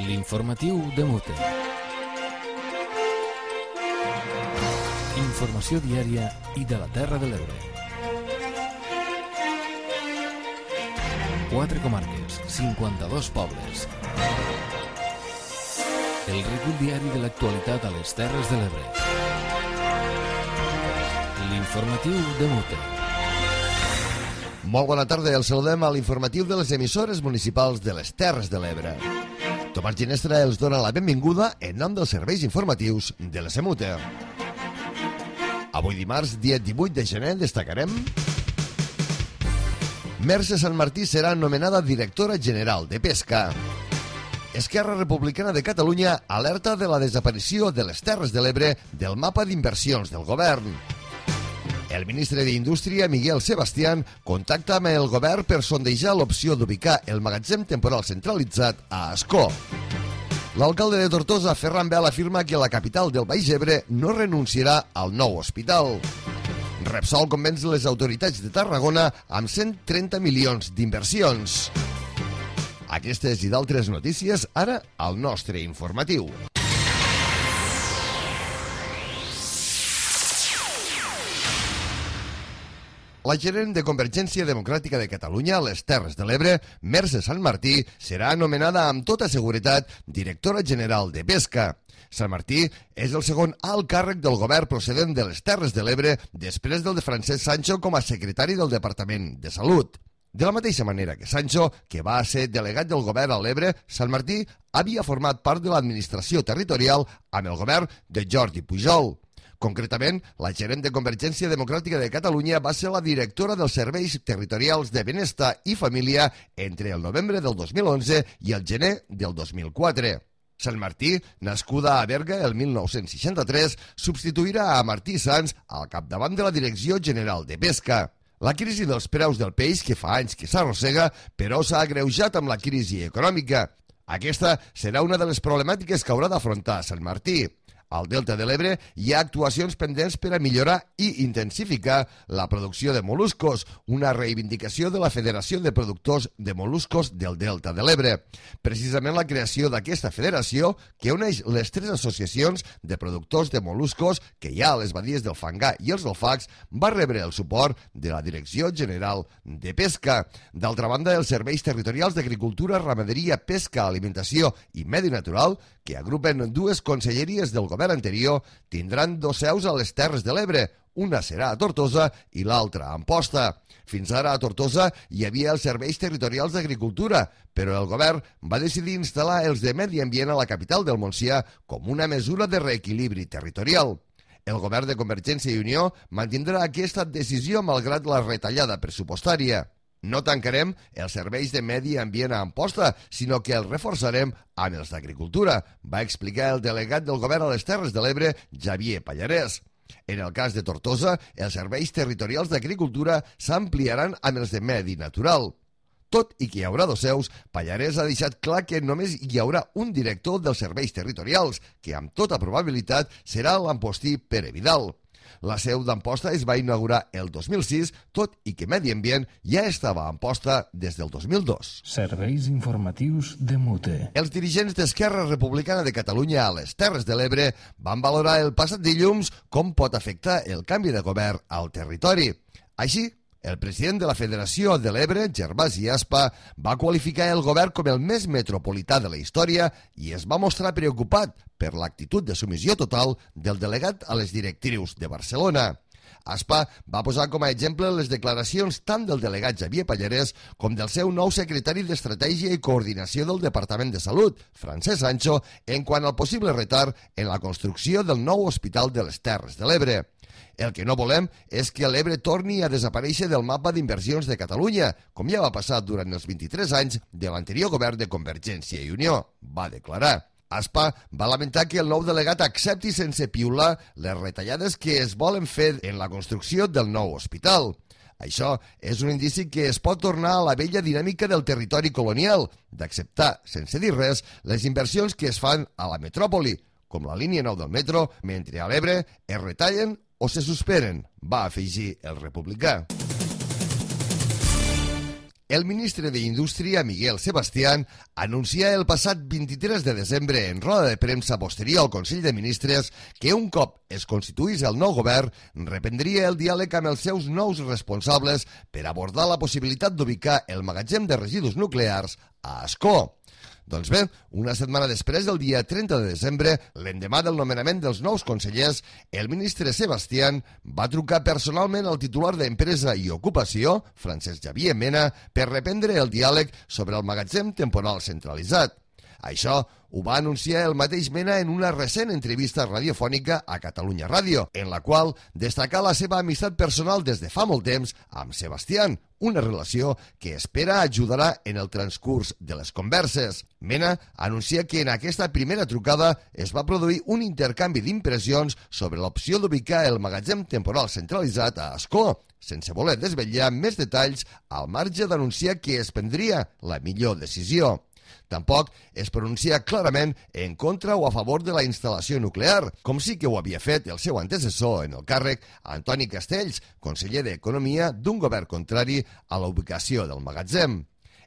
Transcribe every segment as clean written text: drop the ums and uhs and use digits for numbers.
L'informatiu de Mute. Informació diària i de la Terra de l'Ebre. 4 comarques, 52 pobles. El recull diari de l'actualitat a les Terres de l'Ebre. L'informatiu de Mute. Molt bona tarda, el saludem a l'informatiu de les emissores municipals de les Terres de l'Ebre. Tomàs Ginestra els dona la benvinguda en nom dels serveis informatius de la SEMUTE. Avui dimarts, dia 18 de gener, destacarem: Mercè Sanmartí serà nomenada directora general de Pesca. Esquerra Republicana de Catalunya alerta de la desaparició de les Terres de l'Ebre del mapa d'inversions del govern. El ministre d'Indústria, Miguel Sebastián, contacta amb el govern per sondejar l'opció d'ubicar el magatzem temporal centralitzat a Ascó. L'alcalde de Tortosa, Ferran Bel, afirma que la capital del Baix Ebre no renunciarà al nou hospital. Repsol convenç les autoritats de Tarragona amb 130 milions d'inversions. Aquestes i d'altres notícies ara al nostre informatiu. La gerent de Convergència Democràtica de Catalunya a les Terres de l'Ebre, Mercè Sanmartí, serà anomenada amb tota seguretat directora general de Pesca. Sanmartí és el segon alt càrrec del govern procedent de les Terres de l'Ebre després del de Francesc Sancho com a secretari del Departament de Salut. De la mateixa manera que Sancho, que va ser delegat del govern a l'Ebre, Sanmartí havia format part de l'administració territorial amb el govern de Jordi Pujol. Concretament, la gerent de Convergència Democràtica de Catalunya va ser la directora dels Serveis Territorials de Benestar i Família entre el novembre del 2011 i el gener del 2004. Sanmartí, nascuda a Berga el 1963, substituirà a Martí Sans al capdavant de la Direcció General de Pesca. La crisi dels preus del peix, que fa anys que s'arrossega, però s'ha agreujat amb la crisi econòmica. Aquesta serà una de les problemàtiques que haurà d'afrontar Sanmartí. Al Delta de l'Ebre hi ha actuacions pendents per a millorar i intensificar la producció de mol·luscos, una reivindicació de la Federació de Productors de Mol·luscos del Delta de l'Ebre. Precisament la creació d'aquesta federació, que uneix les 3 associacions de productors de mol·luscos que hi ha a les badies del Fangar i els Alfacs, va rebre el suport de la Direcció General de Pesca. D'altra banda, els serveis territorials d'Agricultura, Ramaderia, Pesca, Alimentació i Medi Natural, que agrupen 2 conselleries del govern anterior, tindran 2 seus a les Terres de l'Ebre. Una serà a Tortosa i l'altra a Amposta. Fins ara a Tortosa hi havia els serveis territorials d'agricultura, però el govern va decidir instal·lar els de Medi Ambient a la capital del Montsià com una mesura de reequilibri territorial. El govern de Convergència i Unió mantindrà aquesta decisió malgrat la retallada pressupostària. No tancarem els serveis de Medi Ambient a Amposta, sinó que els reforçarem amb els d'agricultura, va explicar el delegat del govern a les Terres de l'Ebre, Xavier Pallarès. En el cas de Tortosa, els serveis territorials d'agricultura s'ampliaran amb els de Medi Natural. Tot i que hi haurà 2 seus, Pallarès ha deixat clar que només hi haurà un director dels serveis territorials, que amb tota probabilitat serà l'Ampostí Pere Vidal. La seu d'Amposta es va inaugurar el 2006, tot i que Medi Ambient ja estava a Amposta des del 2002. Serveis informatius de Mute. Els dirigents d'Esquerra Republicana de Catalunya a les Terres de l'Ebre van valorar el passat dilluns com pot afectar el canvi de govern al territori. Així, el president de la Federació de l'Ebre, Gervasi Aspa, va qualificar el govern com el més metropolità de la història i es va mostrar preocupat per l'actitud de submissió total del delegat a les directrius de Barcelona. Aspa va posar com a exemple les declaracions tant del delegat Xavier Pallarès com del seu nou secretari d'Estratègia i Coordinació del Departament de Salut, Francesc Sancho, en quant al possible retard en la construcció del nou hospital de les Terres de l'Ebre. El que no volem és que l'Ebre torni a desaparèixer del mapa d'inversions de Catalunya, com ja va passar durant els 23 anys de l'anterior govern de Convergència i Unió, va declarar. Aspa va lamentar que el nou delegat accepti sense piular les retallades que es volen fer en la construcció del nou hospital. Això és un indici que es pot tornar a la vella dinàmica del territori colonial, d'acceptar, sense dir res, les inversions que es fan a la metròpoli, com la línia 9 del metro, mentre a l'Ebre es retallen o se suspenen, va afegir el republicà. El ministre d'Indústria, Miguel Sebastián, anuncia el passat 23 de desembre en roda de premsa posterior al Consell de Ministres que un cop es constituís el nou govern reprendria el diàleg amb els seus nous responsables per abordar la possibilitat d'ubicar el magatzem de residus nuclears a Ascó. Doncs bé, una setmana després del dia 30 de desembre, l'endemà del nomenament dels nous consellers, el ministre Sebastián va trucar personalment al titular d'Empresa i Ocupació, Francesc Xavier Mena, per reprendre el diàleg sobre el magatzem temporal centralitzat. Això ho va anunciar el mateix Mena en una recent entrevista radiofònica a Catalunya Ràdio, en la qual destacà la seva amistat personal des de fa molt temps amb Sebastián, una relació que espera ajudarà en el transcurs de les converses. Mena anuncia que en aquesta primera trucada es va produir un intercanvi d'impressions sobre l'opció d'ubicar el magatzem temporal centralitzat a Ascó, sense voler desvetllar més detalls al marge d'anunciar que es prendria la millor decisió. Tampoc es pronuncia clarament en contra o a favor de la instal·lació nuclear, com sí que ho havia fet el seu antecessor en el càrrec, Antoni Castells, conseller d'Economia d'un govern contrari a la ubicació del magatzem.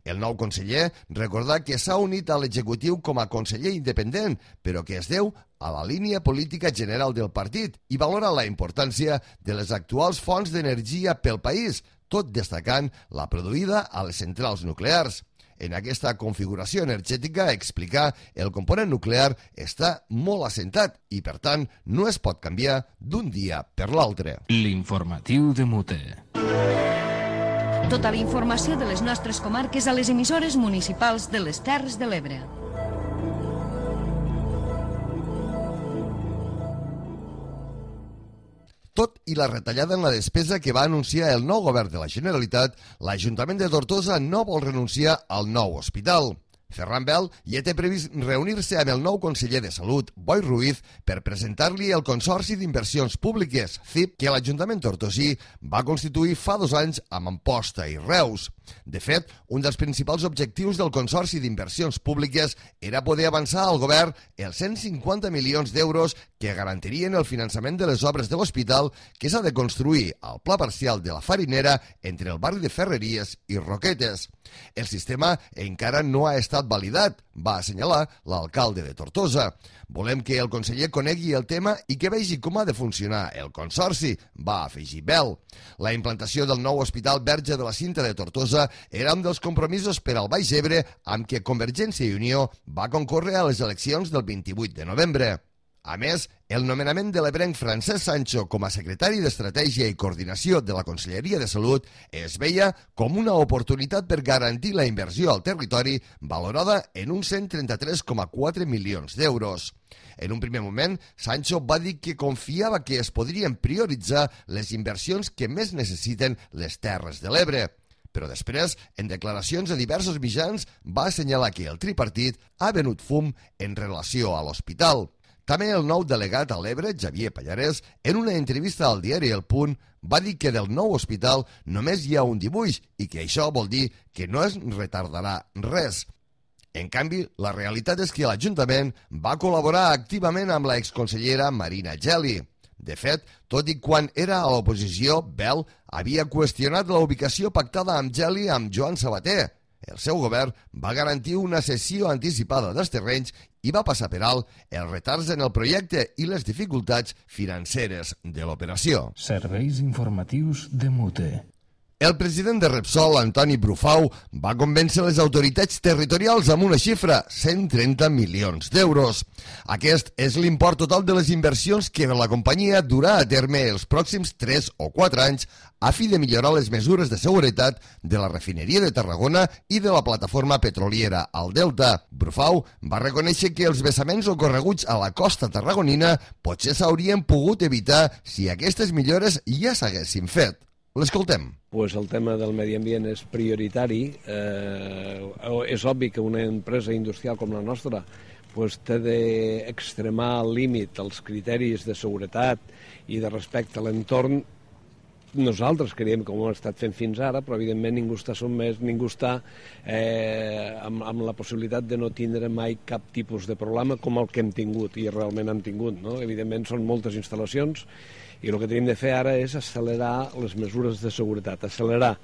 El nou conseller recordà que s'ha unit a l'executiu com a conseller independent, però que es deu a la línia política general del partit i valora la importància de les actuals fonts d'energia pel país, tot destacant la produïda a les centrals nuclears. En aquesta configuració energètica, explicar, el component nuclear està molt assentat i, per tant, no es pot canviar d'un dia per l'altre. L'informatiu de Mute. Tota la informació de les nostres comarques a les emissores municipals de les Terres de l'Ebre. Tot i la retallada en la despesa que va anunciar el nou govern de la Generalitat, l'Ajuntament de Tortosa no vol renunciar al nou hospital. Ferran Bel ja té previst reunir-se amb el nou conseller de Salut, Boi Ruiz, per presentar-li el Consorci d'Inversions Públiques, CIP, que l'Ajuntament tortosí va constituir fa 2 anys amb Amposta i Reus. De fet, un dels principals objectius del Consorci d'Inversions Públiques era poder avançar al govern els 150 milions d'euros que garantirien el finançament de les obres de l'hospital que s'ha de construir al pla parcial de la Farinera entre el barri de Ferreries i Roquetes. El sistema encara no ha estat validat, va assenyalar l'alcalde de Tortosa. Volem que el conseller conegui el tema i que vegi com ha de funcionar el consorci, va afegir Bel. La implantació del nou Hospital Verge de la Cinta de Tortosa era un dels compromisos per al Baix Ebre amb què Convergència i Unió va concórrer a les eleccions del 28 de novembre. A més, el nomenament de l'ebrenc Francesc Sancho com a secretari d'Estratègia i Coordinació de la Conselleria de Salut es veia com una oportunitat per garantir la inversió al territori valorada en uns 133,4 milions d'euros. En un primer moment, Sancho va dir que confiava que es podrien prioritzar les inversions que més necessiten les Terres de l'Ebre. Però després, en declaracions a diversos mitjans, va assenyalar que el tripartit ha venut fum en relació a l'hospital. També el nou delegat a l'Ebre, Xavier Pallarès, en una entrevista al diari El Punt, va dir que del nou hospital només hi ha un dibuix i que això vol dir que no es retardarà res. En canvi, la realitat és que l'Ajuntament va col·laborar activament amb la exconsellera Marina Geli. De fet, tot i quan era a l'oposició, Bel havia qüestionat la ubicació pactada amb Geli amb Joan Sabater. El seu govern va garantir una cessió anticipada dels terrenys i va passar per alt els retards en el projecte i les dificultats financeres de l'operació. Serveis informatius de Mute. El president de Repsol, Antoni Brufau, va convèncer les autoritats territorials amb una xifra, 130 milions d'euros. Aquest és l'import total de les inversions que la companyia durà a terme els pròxims 3 o 4 anys a fi de millorar les mesures de seguretat de la refineria de Tarragona i de la plataforma petroliera al Delta. Brufau va reconèixer que els vessaments ocorreguts a la costa tarragonina potser s'haurien pogut evitar si aquestes millores ja s'haguessin fet. L'escoltem. Pues el tema del medi ambient és prioritari. És obvi que una empresa industrial com la nostra pues, té d'extremar al límit els criteris de seguretat i de respecte a l'entorn. Nosaltres creiem que ho hem estat fent fins ara, però evidentment ningú està sotmès, ningú està amb la possibilitat de no tindre mai cap tipus de problema com el que hem tingut i realment hem tingut. No? Evidentment són moltes instal·lacions I el que tenim de fer ara és accelerar les mesures de seguretat, accelerar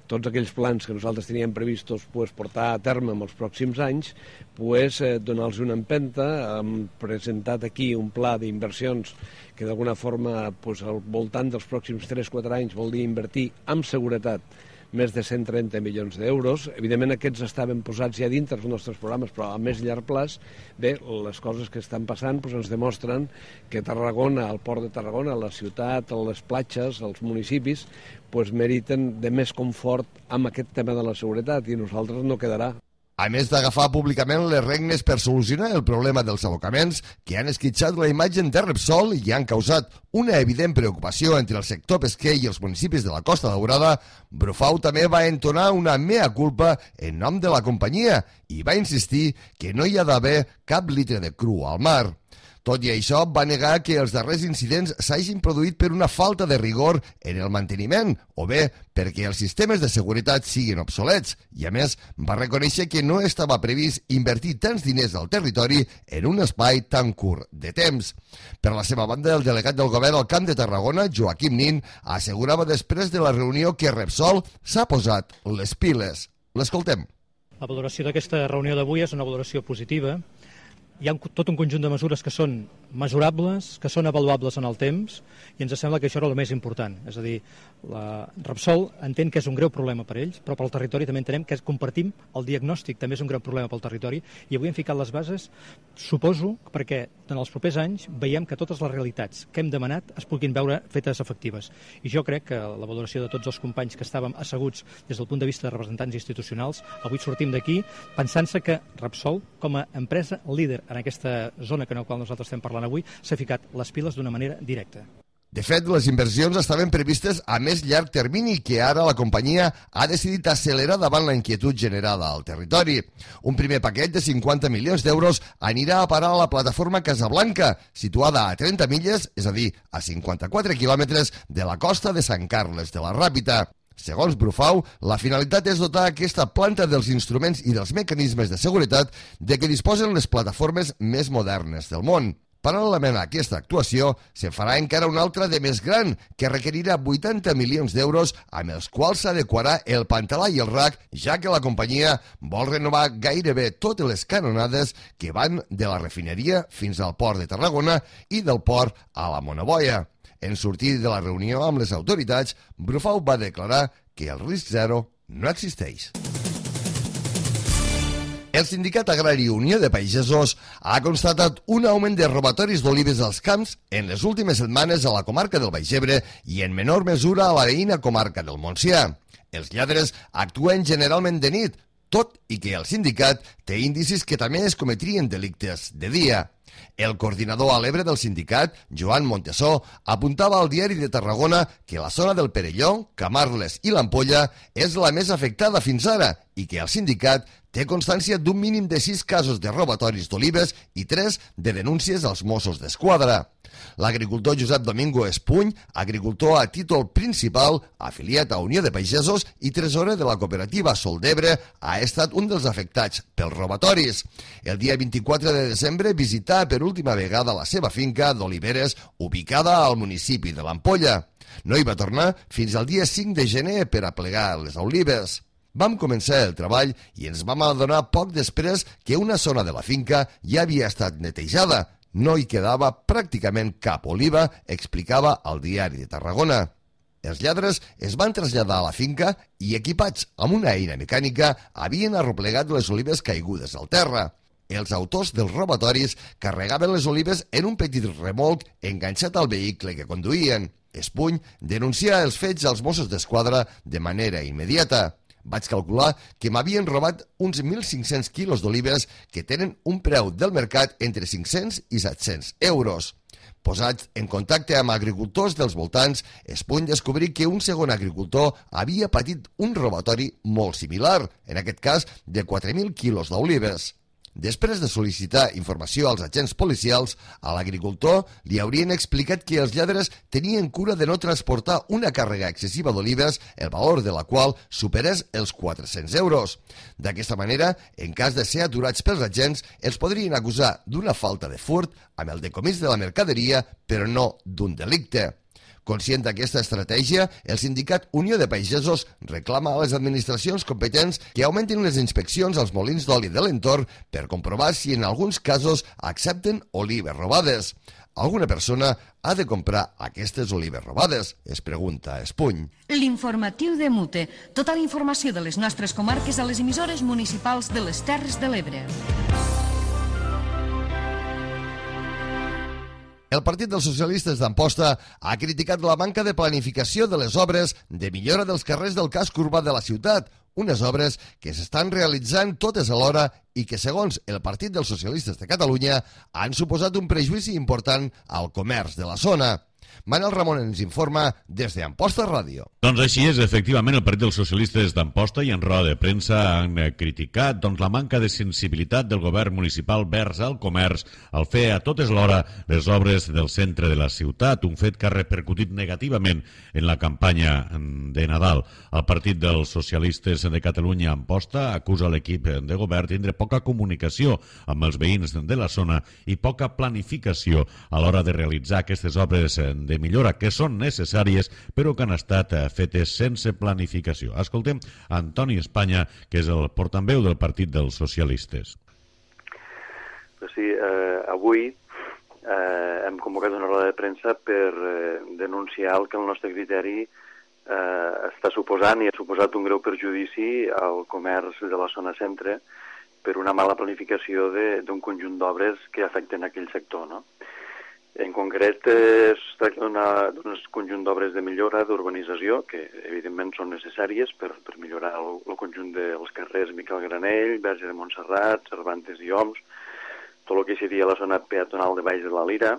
tots aquells plans que nosaltres teníem previstos portar a terme en els pròxims anys, donar-los una empenta. Hem presentat aquí un pla d'inversions que d'alguna forma al voltant dels pròxims 3-4 anys vol dir invertir en seguretat més de 130 milions d'euros. Evidentment aquests estaven posats ja dintre dels nostres programes, però a més llarg plaç, les coses que estan passant ens demostren que Tarragona, el port de Tarragona, la ciutat, les platges, els municipis, meriten de més confort amb aquest tema de la seguretat i nosaltres no quedarà. A més d'agafar públicament les regnes per solucionar el problema dels abocaments que han esquitxat la imatge de Repsol i han causat una evident preocupació entre el sector pesquer i els municipis de la Costa Daurada, Brufau també va entonar una mea culpa en nom de la companyia i va insistir que no hi ha d'haver cap litre de cru al mar. Tot i això, va negar que els darrers incidents s'hagin produït per una falta de rigor en el manteniment o bé perquè els sistemes de seguretat siguin obsolets i, a més, va reconèixer que no estava previst invertir tants diners al territori en un espai tan curt de temps. Per la seva banda, el delegat del govern al Camp de Tarragona, Joaquim Nin, assegurava després de la reunió que Repsol s'ha posat les piles. L'escoltem. La valoració d'aquesta reunió d'avui és una valoració positiva. Hi ha tot un conjunt de mesures que són mesurables, que són avaluables en el temps, i ens sembla que això era el més important. És a dir, la Repsol entén que és un greu problema per ells, però pel territori també entenem que compartim el diagnòstic, també és un greu problema pel territori, i avui hem ficat les bases, suposo, perquè en els propers anys veiem que totes les realitats que hem demanat es puguin veure fetes efectives. I jo crec que la valoració de tots els companys que estàvem asseguts des del punt de vista de representants institucionals, avui sortim d'aquí pensant-se que Repsol, com a empresa líder en aquesta zona que en la qual nosaltres estem parlant avui, s'ha ficat les piles d'una manera directa. De fet, les inversions estaven previstes a més llarg termini que ara la companyia ha decidit accelerar davant la inquietud generada al territori. Un primer paquet de 50 milions d'euros anirà a parar a la plataforma Casablanca, situada a 30 milles, és a dir, a 54 quilòmetres de la costa de Sant Carles de la Ràpita. Segons Brufau, la finalitat és dotar aquesta planta dels instruments i dels mecanismes de seguretat de què disposen les plataformes més modernes del món. Paral·lelament a aquesta actuació, se'n farà encara una altra de més gran, que requerirà 80 milions d'euros amb els quals s'adequarà el Pantalà i el RAC, ja que la companyia vol renovar gairebé totes les canonades que van de la refineria fins al port de Tarragona i del port a la Monoboia. En sortir de la reunió amb les autoritats, Brufau va declarar que el risc zero no existeix. El Sindicat Agrari Unió de Pagesos ha constatat un augment de robatoris d'olives als camps en les últimes setmanes a la comarca del Baix Ebre i en menor mesura a la veïna comarca del Montsià. Els lladres actuen generalment de nit, tot i que el sindicat té indicis que també es cometrien delictes de dia. El coordinador a l'Ebre del sindicat, Joan Montesó, apuntava al Diari de Tarragona que la zona del Perelló, Camarles i l'Ampolla és la més afectada fins ara i que el sindicat té constància d'un mínim de 6 casos de robatoris d'olives i 3 de denúncies als Mossos d'Esquadra. L'agricultor Josep Domingo Espuny, agricultor a títol principal, afiliat a Unió de Pagesos i tresorer de la cooperativa Sol d'Ebre, ha estat un dels afectats pels robatoris. El dia 24 de desembre visità per última vegada la seva finca d'oliveres ubicada al municipi de l'Ampolla. No hi va tornar fins al dia 5 de gener per a plegar les olives. Vam començar el treball i ens vam adonar poc després que una zona de la finca ja havia estat netejada. No hi quedava pràcticament cap oliva, explicava al Diari de Tarragona. Els lladres es van traslladar a la finca i, equipats amb una eina mecànica, havien arroplegat les olives caigudes al terra. Els autors dels robatoris carregaven les olives en un petit remolc enganxat al vehicle que conduïen. Espuny denuncia els fets als Mossos d'Esquadra de manera immediata. Vaig calcular que m'havien robat uns 1.500 quilos d'olives que tenen un preu del mercat entre 500 i 700 euros. Posats en contacte amb agricultors dels voltants, Espuny descobrí que un segon agricultor havia patit un robatori molt similar, en aquest cas de 4.000 quilos d'olives. Després de sol·licitar informació als agents policials, a l'agricultor li haurien explicat que els lladres tenien cura de no transportar una càrrega excessiva d'olives, el valor de la qual superés els 400 euros. D'aquesta manera, en cas de ser aturats pels agents, els podrien acusar d'una falta de furt amb el decomís de la mercaderia, però no d'un delicte. Conscient d'aquesta estratègia, el sindicat Unió de Pagesos reclama a les administracions competents que augmentin les inspeccions als molins d'oli de l'entorn per comprovar si en alguns casos accepten olives robades. Alguna persona ha de comprar aquestes olives robades? Es pregunta Espuny. L'informatiu de Mute. Tota la informació de les nostres comarques a les emissores municipals de les Terres de l'Ebre. El Partit dels Socialistes d'Amposta ha criticat la manca de planificació de les obres de millora dels carrers del casc urbà de la ciutat, unes obres que s'estan realitzant totes alhora i que, segons el Partit dels Socialistes de Catalunya, han suposat un perjudici important al comerç de la zona. Manel Ramon ens informa des d'Amposta Ràdio. Doncs així és, efectivament, el Partit dels Socialistes d'Amposta i en roda de premsa han criticat la manca de sensibilitat del govern municipal vers al comerç al fer a totes l'hora les obres del centre de la ciutat, un fet que ha repercutit negativament en la campanya de Nadal. El Partit dels Socialistes de Catalunya Amposta acusa l'equip de govern tindre poca comunicació amb els veïns de la zona i poca planificació a l'hora de realitzar aquestes obres de millora que són necessàries però que han estat fetes sense planificació. Escoltem Antoni Espanya, que és el portaveu del Partit dels Socialistes. Sí, avui hem convocat una roda de premsa per denunciar el que el nostre criteri està suposant i ha suposat un greu perjudici al comerç de la zona centre per una mala planificació d'un conjunt d'obres que afecten aquell sector, no? En concret, es tracta d'un conjunt d'obres de millora d'urbanització, que evidentment són necessàries per millorar el conjunt dels carrers Miquel Granell, Verge de Montserrat, Cervantes i Oms, tot el que seria la zona peatonal de Valls de la Lira,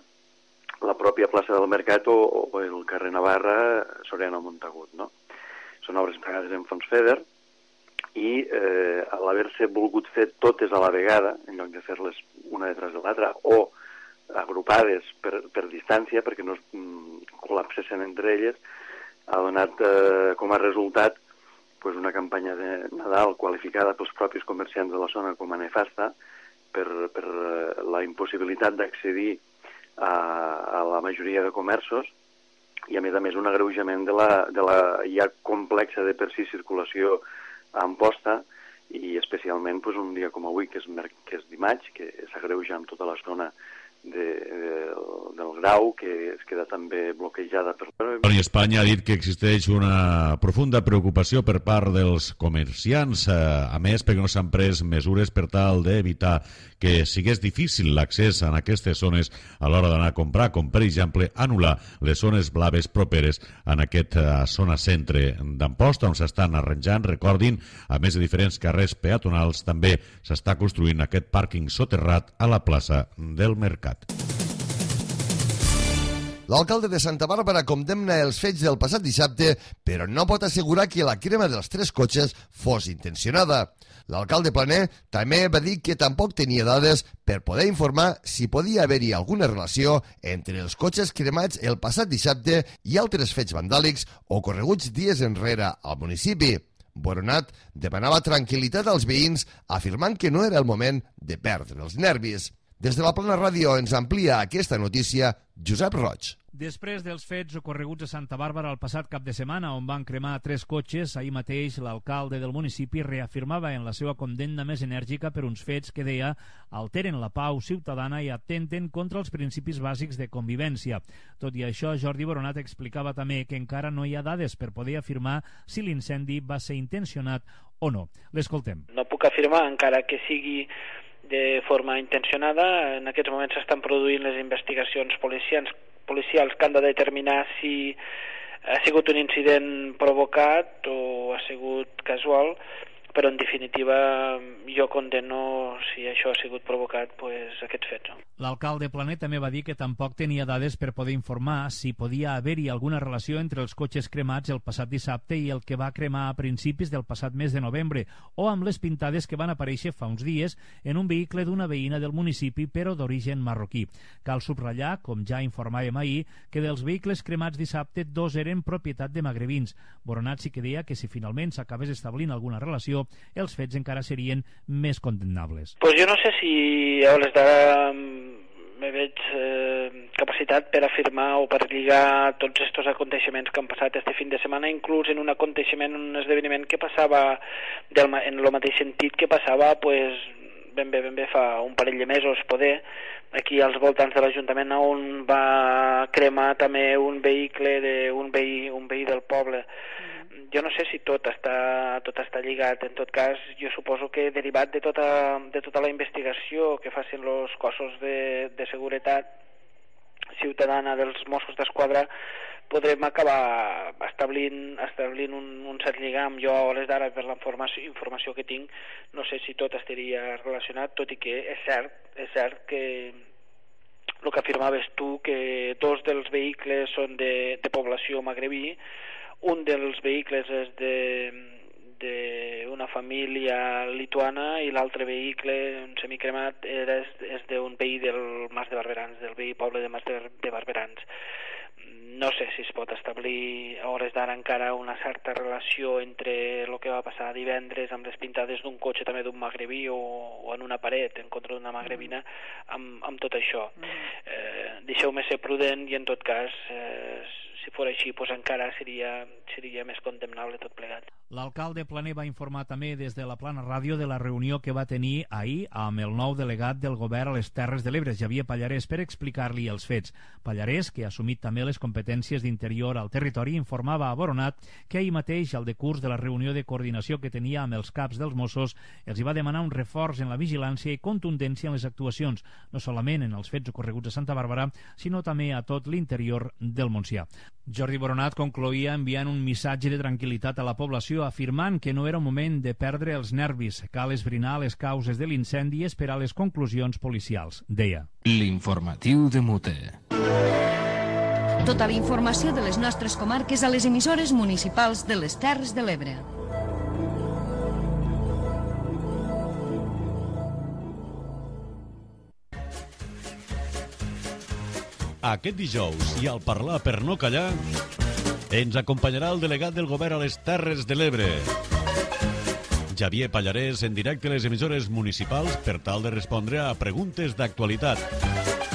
la pròpia plaça del Mercat o el carrer Navarra, Soriano Montagut, no? Són obres pagades en fons FEDER i a l'haver-se volgut fer totes a la vegada, en lloc de fer-les una detrás de l'altra, o agrupades per distància, perquè no es col·lapsessin entre elles, ha donat com a resultat una campanya de Nadal qualificada pels propis comerciants de la zona com a nefasta per la impossibilitat d'accedir a la majoria de comerços i, a més, un agreujament de la ja complexa de per si circulació a Amposta i especialment un dia com avui, que és dimarts, que s'agreuja amb tota la zona del Grau, que es queda també bloquejada per... Toni Espanya ha dit que existeix una profunda preocupació per part dels comerciants, a més perquè no s'han pres mesures per tal d'evitar que sigués difícil l'accés en aquestes zones a l'hora d'anar a comprar, com per exemple anul·lar les zones blaves properes en aquesta zona centre d'Amposta, on s'estan arranjant, recordin, a més de diferents carrers peatonals, també s'està construint aquest pàrquing soterrat a la plaça del Mercat. L'alcalde de Santa Bàrbara condemna els fets del passat dissabte, però no pot assegurar que la crema dels 3 cotxes fos intencionada. L'alcalde Planer també va dir que tampoc tenia dades per poder informar si podia haver-hi alguna relació entre els cotxes cremats el passat dissabte i altres fets vandàlics ocorreguts dies enrere al municipi. Boronat demanava tranquil·litat als veïns, afirmant que no era el moment de perdre els nervis. Des de la Plana Ràdio ens amplia aquesta notícia Josep Roig. Després dels fets ocorreguts a Santa Bàrbara el passat cap de setmana, on van cremar 3 cotxes, ahir mateix l'alcalde del municipi reafirmava en la seva condemna més enèrgica per uns fets que, deia, alteren la pau ciutadana i atenten contra els principis bàsics de convivència. Tot i això, Jordi Boronat explicava també que encara no hi ha dades per poder afirmar si l'incendi va ser intencionat o no. L'escoltem. No puc afirmar, encara que sigui de forma intencionada. En aquests moments s'estan produint les investigacions policials que han de determinar si ha sigut un incident provocat o ha sigut casual, però en definitiva jo condeno, si això ha sigut provocat, aquests fets. L'alcalde Planer també va dir que tampoc tenia dades per poder informar si podia haver-hi alguna relació entre els cotxes cremats el passat dissabte i el que va cremar a principis del passat mes de novembre, o amb les pintades que van aparèixer fa uns dies en un vehicle d'una veïna del municipi, però d'origen marroquí. Cal subratllar, com ja informàvem ahir, que dels vehicles cremats dissabte 2 eren propietat de magrebins. Boronat sí que deia que si finalment s'acabés establint alguna relació, els fets encara serien més condemnables. Jo no sé si a hores d'ara me veig capacitat per afirmar o per lligar tots aquests aconteixements que han passat este fin de setmana, inclús en un aconteixement, un esdeveniment que passava en el mateix sentit que passava ben bé fa un parell de mesos, poder, aquí als voltants de l'Ajuntament, on va cremar també un vehicle d'un veí del poble. Jo no sé si tot està lligat. En tot cas, jo suposo que derivat de tota la investigació que facin els cossos de seguretat ciutadana dels Mossos d'Esquadra, podrem acabar establint un cert lligam. Jo, a hores d'ara, per la informació que tinc, no sé si tot estaria relacionat, tot i que és cert que el que afirmaves tu, que dos dels vehicles són de població magrebí, un dels vehicles és d'una família lituana i l'altre vehicle, un semicremat, és d'un veí del Mas de Barberans, del veí poble de Mas de Barberans. No sé si es pot establir a hores d'ara encara una certa relació entre el que va passar divendres amb les pintades d'un cotxe també d'un magrebí o en una paret en contra d'una magrebina amb tot això. Deixeu-me ser prudent i en tot cas si fos així encara seria més condemnable tot plegat. L'alcalde Planer va informar també des de la Plana Ràdio de la reunió que va tenir ahir amb el nou delegat del govern a les Terres de l'Ebre, Xavier Pallarès, per explicar-li els fets. Pallarès, que ha assumit també les competències d'interior al territori, informava a Boronat que ahir mateix, al decurs de la reunió de coordinació que tenia amb els caps dels Mossos, els hi va demanar un reforç en la vigilància i contundència en les actuacions, no solament en els fets ocorreguts a Santa Bàrbara, sinó també a tot l'interior del Montsià. Jordi Boronat concloïa enviant un missatge de tranquil·litat a la població, afirmant que no era un moment de perdre els nervis, cal esbrinar les causes de l'incendi i esperar les conclusions policials, deia. L'informatiu de Mute. Tota la informació de les nostres comarques a les emissores municipals de les Terres de l'Ebre. Aquest dijous, i al parlar per no callar, ens acompanyarà el delegat del govern a les Terres de l'Ebre, Xavier Pallarès, en directe a les emissores municipals per tal de respondre a preguntes d'actualitat.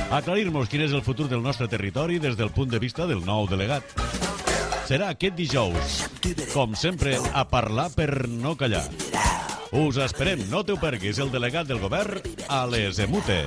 Aclarir-nos quin és el futur del nostre territori des del punt de vista del nou delegat. Serà aquest dijous, com sempre, a parlar per no callar. Us esperem, no t'ho perguis, el delegat del govern a les EMUTE.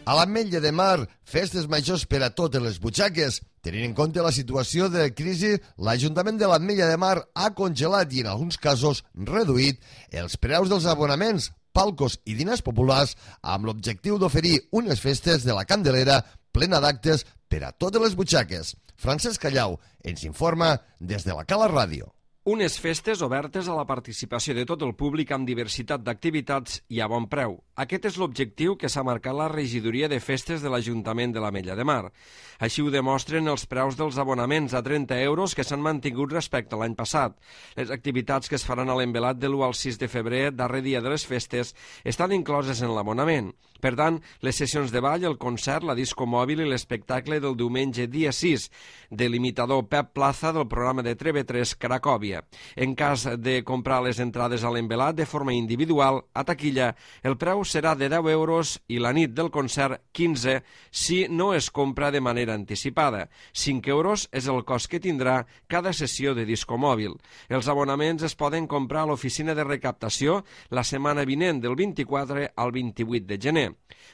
A l'Ametlla de Mar, festes majors per a totes les butxaques. Tenint en compte la situació de crisi, l'Ajuntament de l'Ametlla de Mar ha congelat i, en alguns casos, reduït els preus dels abonaments, palcos i diners populars amb l'objectiu d'oferir unes festes de la Candelera plena d'actes per a totes les butxaques. Francesc Callau ens informa des de la Cala Ràdio. Unes festes obertes a la participació de tot el públic amb diversitat d'activitats i a bon preu. Aquest és l'objectiu que s'ha marcat la regidoria de festes de l'Ajuntament de l'Ametlla de Mar. Així ho demostren els preus dels abonaments a 30 euros que s'han mantingut respecte a l'any passat. Les activitats que es faran a l'envelat de l'1 al 6 de febrer, darrer dia de les festes, estan incloses en l'abonament. Per tant, les sessions de ball, el concert, la disco mòbil i l'espectacle del diumenge dia 6 de l'imitador Pep Plaza del programa de TV3 Cracòvia. En cas de comprar les entrades a l'envelat de forma individual, a taquilla, el preu serà de 10 euros i la nit del concert 15 si no es compra de manera anticipada. 5 euros és el cost que tindrà cada sessió de disco mòbil. Els abonaments es poden comprar a l'oficina de recaptació la setmana vinent del 24 al 28 de gener.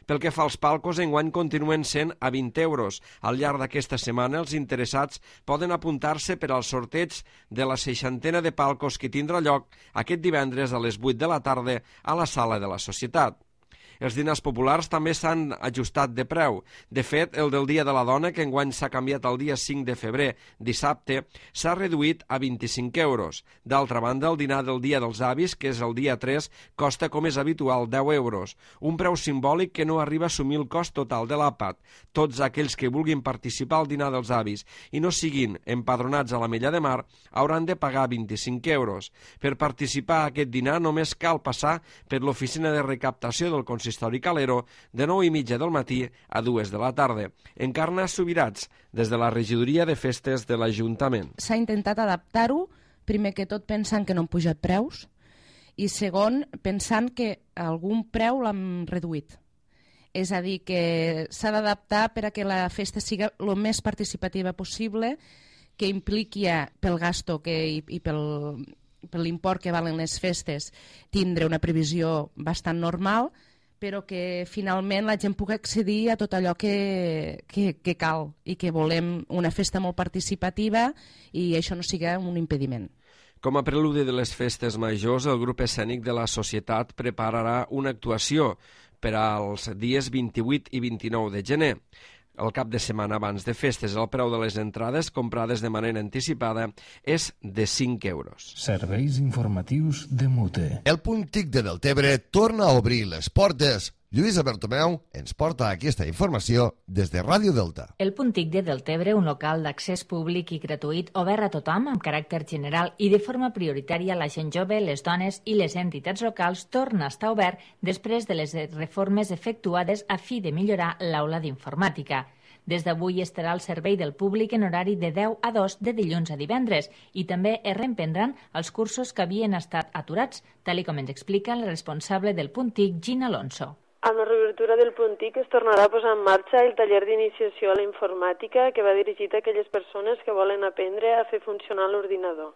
Pel que fa als palcos, enguany continuen sent a 20 euros. Al llarg d'aquesta setmana, els interessats poden apuntar-se per al sorteig de la 60ena de palcos que tindrà lloc aquest divendres a les 8 de la tarda a la Sala de la Societat. Els dinars populars també s'han ajustat de preu. De fet, el del Dia de la Dona, que enguany s'ha canviat al dia 5 de febrer, dissabte, s'ha reduït a 25 euros. D'altra banda, el dinar del Dia dels Avis, que és el dia 3, costa, com és habitual, 10 euros. Un preu simbòlic que no arriba a assumir el cost total de l'àpat. Tots aquells que vulguin participar al dinar dels avis i no siguin empadronats a l'Ametlla de Mar hauran de pagar 25 euros. Per participar a aquest dinar només cal passar per l'oficina de recaptació del consistori Calero de 9:30 del matí a 2 de la tarda. Encarna Subirats, des de la regidoria de festes de l'Ajuntament. S'ha intentat adaptar-ho, primer que tot pensant que no han pujat preus, i segon, pensant que algun preu l'hem reduït. És a dir, que s'ha d'adaptar per a que la festa sigui el més participativa possible, que impliqui pel gasto i per l'import que valen les festes tindre una previsió bastant normal, però que finalment la gent pugui accedir a tot allò que cal i que volem una festa molt participativa i això no sigui un impediment. Com a preludi de les festes majors, el grup escènic de la Societat prepararà una actuació per als dies 28 i 29 de gener. El cap de setmana abans de festes, el preu de les entrades comprades de manera anticipada és de 5 euros. Serveis informatius de Mute. El punt TIC de Deltebre torna a obrir les portes. Lluïsa Bertomeu ens porta aquesta informació des de Ràdio Delta. El punt TIC de Deltebre, un local d'accés públic i gratuït obert a tothom amb caràcter general i de forma prioritària la gent jove, les dones i les entitats locals, torna a estar obert després de les reformes efectuades a fi de millorar l'aula d'informàtica. Des d'avui estarà al servei del públic en horari de 10 a 2 de dilluns a divendres i també es reemprendran els cursos que havien estat aturats, tal com ens explica el responsable del punt TIC, Gina Alonso. Amb la reobertura del punt TIC es tornarà a posar en marxa el taller d'iniciació a la informàtica que va dirigit a aquelles persones que volen aprendre a fer funcionar l'ordinador.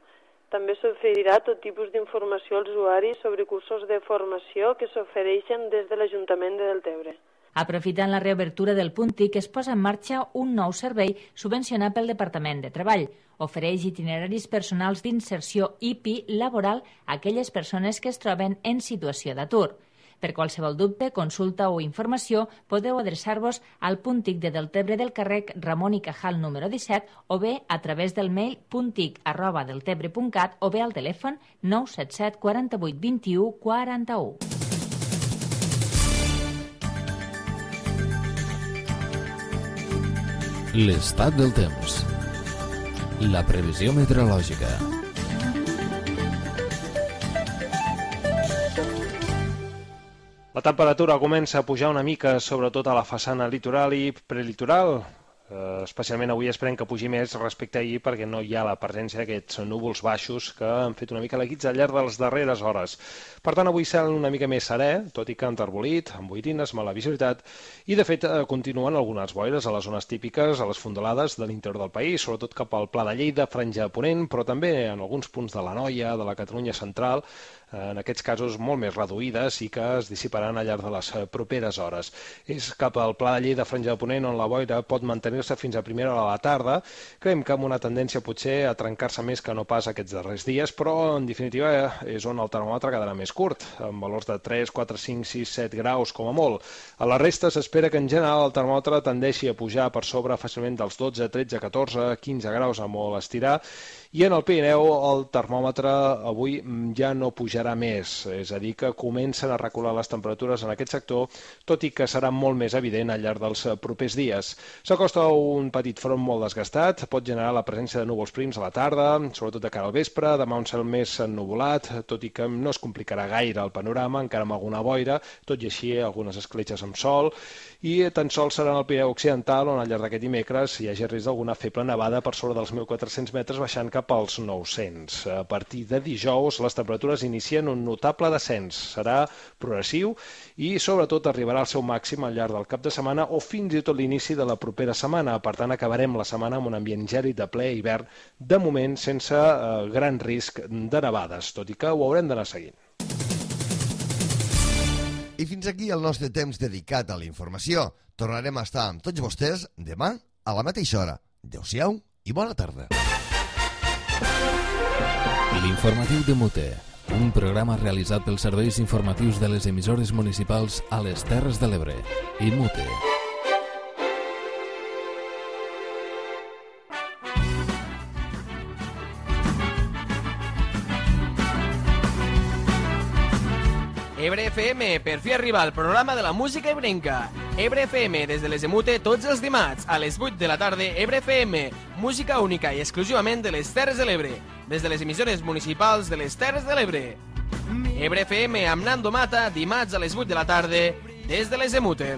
També s'oferirà tot tipus d'informació als usuaris sobre cursos de formació que s'ofereixen des de l'Ajuntament de Deltebre. Aprofitant la reobertura del punt TIC, es posa en marxa un nou servei subvencionat pel Departament de Treball. Ofereix itineraris personals d'inserció IPI laboral a aquelles persones que es troben en situació d'atur. Per qualsevol dubte, consulta o informació, podeu adreçar-vos al punt TIC de Deltebre del carrer Ramon i Cajal número 17 o bé a través del mail punttic@deltebre.cat o bé al telèfon 977 48 21 41. L'estat del temps. La previsió meteorològica. La temperatura comença a pujar una mica, sobretot a la façana litoral i prelitoral. Especialment avui esperem que pugi més respecte a ahir perquè no hi ha la presència d'aquests núvols baixos que han fet una mica la guitza al llarg de les darreres hores. Per tant, avui cel una mica més serè, tot i que enterbolit, amb boirines, mala visibilitat, i de fet continuen algunes boires a les zones típiques, a les fondalades de l'interior del país, sobretot cap al Pla de Lleida, Franja de Ponent, però també en alguns punts de l'Anoia, de la Catalunya central, en aquests casos molt més reduïdes i que es dissiparan al llarg de les properes hores. És cap al Pla de Lleida, Franja de Ponent, on la boira pot mantenir-se fins a primera hora de la tarda. Creiem que amb una tendència potser a trencar-se més que no pas aquests darrers dies, però en definitiva és on el termòmetre quedarà més curt, amb valors de 3, 4, 5, 6, 7 graus com a molt. A la resta s'espera que en general el termòmetre tendeixi a pujar per sobre fàcilment dels 12, 13, 14, 15 graus a molt estirar, i en el Pirineu el termòmetre avui ja no pujarà més, és a dir, que comencen a recular les temperatures en aquest sector, tot i que serà molt més evident al llarg dels propers dies. S'acosta un petit front molt desgastat, pot generar la presència de núvols prims a la tarda, sobretot de cara al vespre, demà un cel més ennuvolat, tot i que no es complicarà gaire el panorama, encara amb alguna boira, tot i així algunes escletxes amb sol, i tan sols serà en el Pirineu Occidental on al llarg d'aquest dimecres hi hagi risc d'alguna feble nevada per sobre dels 1.400 metres baixant cap als 900. A partir de dijous les temperatures inicien un notable descens. Serà progressiu i sobretot arribarà al seu màxim al llarg del cap de setmana o fins i tot l'inici de la propera setmana. Per tant, acabarem la setmana amb un ambient gèlid de ple hivern, de moment sense gran risc de nevades, tot i que ho haurem d'anar seguint. I fins aquí el nostre temps dedicat a la informació. Tornarem a estar amb tots vostès demà a la mateixa hora. Adéu-siau i bona tarda. L'informatiu de Mute, un programa realitzat pels serveis informatius de les emissores municipals a les Terres de l'Ebre i Mute. Ebre FM, per fi arriba el programa de la música ebrenca. Ebre FM, des de les de Mute, tots els dimarts, a les 8 de la tarda, Ebre FM, música única i exclusivament de les Terres de l'Ebre, des de les emissores municipals de les Terres de l'Ebre. Ebre FM amb Nando Mata, dimarts a les 8 de la tarda, des de les de Mute.